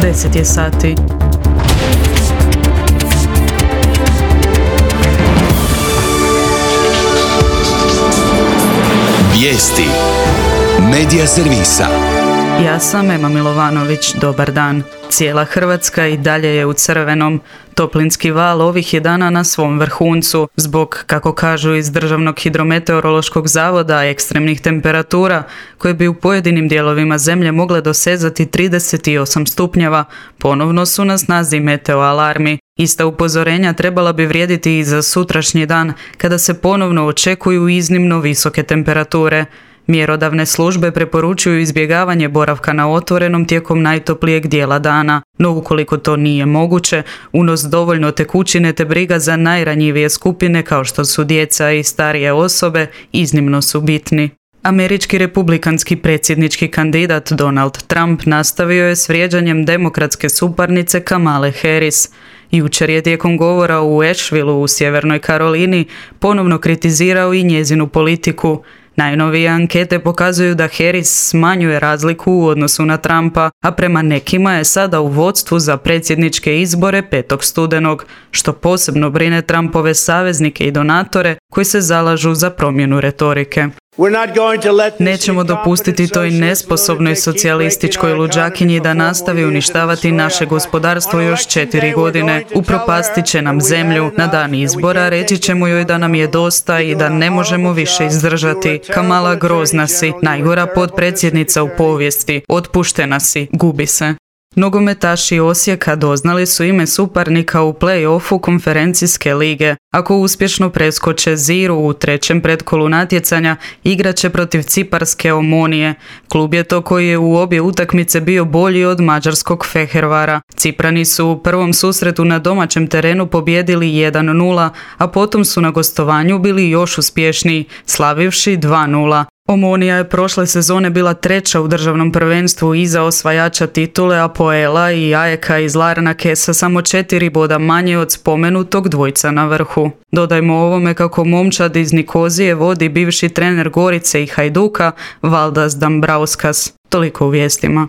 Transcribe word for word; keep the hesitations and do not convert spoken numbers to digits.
deset je sati. Vijesti Medija servisa. Ja sam Ema Milovanović, dobar dan. Cijela Hrvatska i dalje je u crvenom. Toplinski val ovih je dana na svom vrhuncu. Zbog, kako kažu iz Državnog hidrometeorološkog zavoda, ekstremnih temperatura, koje bi u pojedinim dijelovima zemlje mogle dosezati trideset osam stupnjeva, ponovno su na snazi meteo alarmi. Ista upozorenja trebala bi vrijediti i za sutrašnji dan, kada se ponovno očekuju iznimno visoke temperature. Mjerodavne službe preporučuju izbjegavanje boravka na otvorenom tijekom najtoplijeg dijela dana, no ukoliko to nije moguće, unos dovoljno tekućine te briga za najranjivije skupine kao što su djeca i starije osobe iznimno su bitni. Američki republikanski predsjednički kandidat Donald Trump nastavio je s vrijeđanjem demokratske suparnice Kamale Harris. Jučer je tijekom govora u Ashevilleu u Sjevernoj Karolini ponovno kritizirao i njezinu politiku. Najnovije ankete pokazuju da Harris smanjuje razliku u odnosu na Trumpa, a prema nekima je sada u vodstvu za predsjedničke izbore petog studenog, što posebno brine Trumpove saveznike i donatore koji se zalažu za promjenu retorike. Nećemo dopustiti toj nesposobnoj socijalističkoj luđakinji da nastavi uništavati naše gospodarstvo još četiri godine. Upropastit će nam zemlju. Na dan izbora reći ćemo joj da nam je dosta i da ne možemo više izdržati. Kamala, grozna si, najgora potpredsjednica u povijesti. Otpuštena si, gubi se. Nogometaši Osijeka doznali su ime suparnika u play-offu konferencijske lige. Ako uspješno preskoče Ziru u trećem pretkolu natjecanja, igraće protiv ciparske Omonije. Klub je to koji je u obje utakmice bio bolji od mađarskog Fehervara. Ciprani su u prvom susretu na domaćem terenu pobijedili jedan nula, a potom su na gostovanju bili još uspješniji, slavivši dva nula. Omonija je prošle sezone bila treća u državnom prvenstvu iza osvajača titule Apoela i Ajeka iz Larnake sa samo četiri boda manje od spomenutog dvojca na vrhu. Dodajmo ovome kako momčad iz Nikozije vodi bivši trener Gorice i Hajduka Valdas Dambrauskas. Toliko u vijestima.